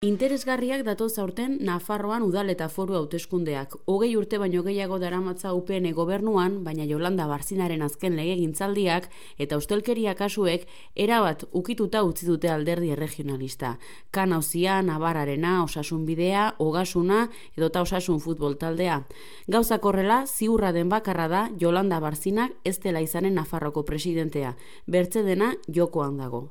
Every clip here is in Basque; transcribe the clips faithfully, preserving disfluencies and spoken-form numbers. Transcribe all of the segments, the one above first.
Interesgarriak datoz aurten Nafarroan udal eta foru hauteskundeak. Hogei urte baino gehiago daramatza U P N gobernuan, baina Yolanda Barzinaren azken legegintzaldiak eta ustelkeria kasuek erabat ukituta utzi dute alderdi erregionalista. Kan auzia, Navarrarena, Osasun Bidea, Ogasuna edota Osasun Futbol taldea. Gauzak horrela, ziurra den bakarra da Yolanda Barzinak ez dela izanen Nafarroko presidentea. Bertze dena jokoan dago.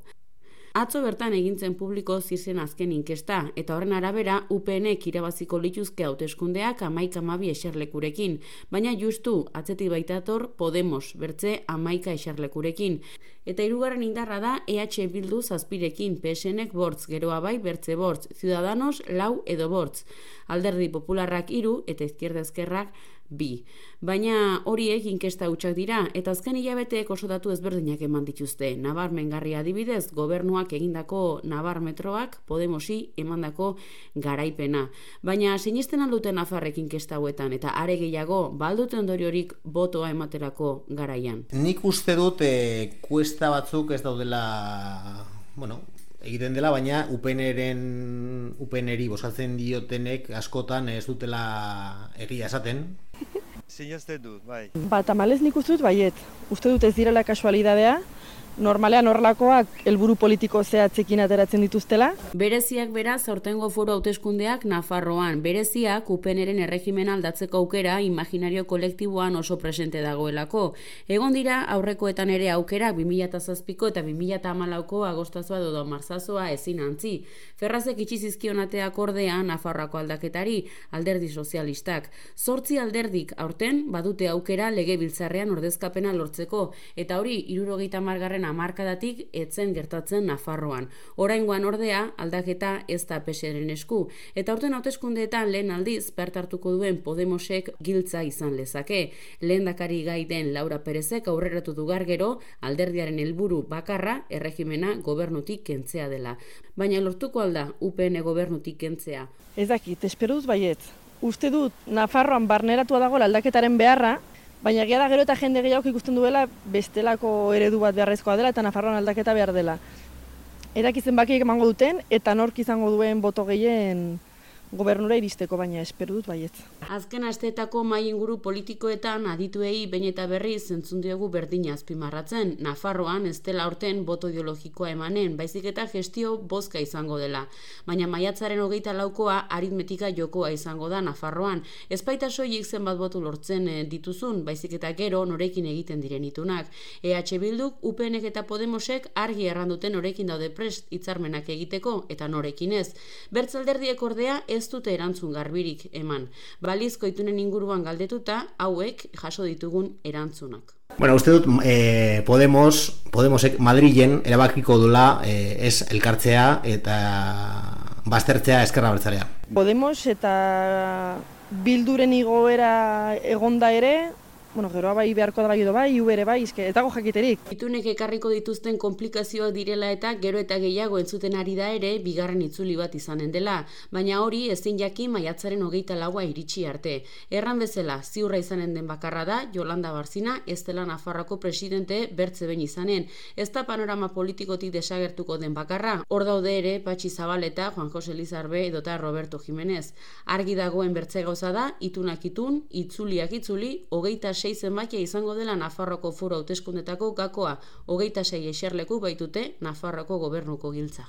Atzo bertan egintzen publiko ziren azken inkesta, eta horren arabera U P Nek irabaziko lituzke hauteskundeak hamaika hamabi eserlekurekin, baina justu atzetik baitator Podemos bertze hamaika eserlekurekin. Eta hirugarren indarra da E H Bildu zazpirekin, P S Nek bortz, geroa bai bertze bortz, Ciudadanos lau edo bortz, Alderdi Popularrak hiru eta Izquierda Ezkerrak bi. Baina horiek inkesta hutsak dira, eta azken hilabeteek oso datu ezberdinak eman dituzte. Nabarmengarria adibidez, gobernuak egindako Nabarmetroak Podemosi emandako garaipena. Baina sinisten alduten Nafarrek inkesta hauetan, eta are gehiago, baldute ondoriorik botoa ematerako garaian. Nik uste dut e, kuesta batzuk ez daudela, bueno, egiten dela, baina U P Nren U P Nri bozkatzen diotenek askotan ez dutela egia esaten. Sinazten dut, bai. Ba, tamalez nik uste dut baiet. Uste dut ez direla kasualidadea, normalean horrelakoak helburu politiko zehatzekin ateratzen dituztela. Bereziak beraz aurtengo foru hauteskundeak Nafarroan. Bereziak U P Nren erregimena aldatzeko aukera imaginario kolektiboan oso presente dagoelako. Egon dira aurrekoetan ere aukera bi mila zazpiko eta bi mila hamalauko agostazoa edo martzazoa ezin antzi. Ferrazek itxi zizkionateak ordea Nafarroako aldaketari, Alderdi Sozialistak. Zortzi alderdik aurten badute aukera legebiltzarrean ordezkapena lortzeko, eta hori hirurogeita hamargarren hamarkadatik etzen gertatzen Nafarroan. Oraingoan ordea aldaketa ez da P S Ren esku, eta aurten hauteskundeetan lehen aldiz parte hartuko duen Podemosek giltza izan lezake. Lehendakari gai den Laura Perezek aurreratu du gero alderdiaren helburu bakarra erregimena gobernutik kentzea dela. Baina lortuko alda U P N gobernutik kentzea? Ez dakit, espero dut baiet. Uste dut Nafarroan barneratua dago aldaketaren beharra, baina egia da gero eta jende gehiago ikusten duela bestelako eredu bat beharrezkoa dela eta Nafarroan aldaketa behar dela. Eraki zenbakiek emango duten eta nork izango duen boto gehien gobernura iristeko, baina espero dut baiet. Azken asteetako mahai inguru politikoetan adituei behin eta berriz entzun diogu berdina azpimarratzen. Nafarroan ez dela aurten boto ideologikoa emanen, baizik eta gestio bozka izango dela. Baina maiatzaren hogeita laukoa aritmetika jokoa izango da Nafarroan. Ez baita soilik zenbat boto lortzen dituzun, baizik eta gero norekin egiten diren itunak. E H Bilduk, U P Nek eta Podemosek argi erranduten norekin daude prest hitzarmenak egiteko eta norekin ez. Bertzalderdiek ordea ez dute erantzun garbirik eman. Balizko itunen inguruan galdetuta, hauek jaso ditugun erantzunak. Bueno, uste dut eh, Podemos, Podemosek Madrilen erabakiko dula eh, ez elkartzea eta baztertzea Ezker Abertzalea. Podemos eta Bilduren igoera egonda ere, bueno, geroa bai beharko da bai edo bai, U ere bai, izke, eta go jakiterik. Itunek ekarriko dituzten konplikazioak direla eta gero eta gehiago entzuten ari da ere bigarren itzuli bat izanen dela, baina hori ezin jakin maiatzaren hogeita laua iritsi arte. Erran bezala, ziurra izanen den bakarra da Yolanda Barzina ez dela Nafarroko presidente bertze behin izanen. Ez da panorama politikotik desagertuko den bakarra, hor daude ere Patxi Zabaleta, Juan Jose Lizarbe edota Roberto Jimenez. Argi dagoen bertze gauza da, itunak itun, itzuliak itzuli, hogeita sei zenbakia izango dela Nafarroko foru hauteskundetako gakoa, hogeita sei eserleku baitute Nafarroko gobernuko giltza.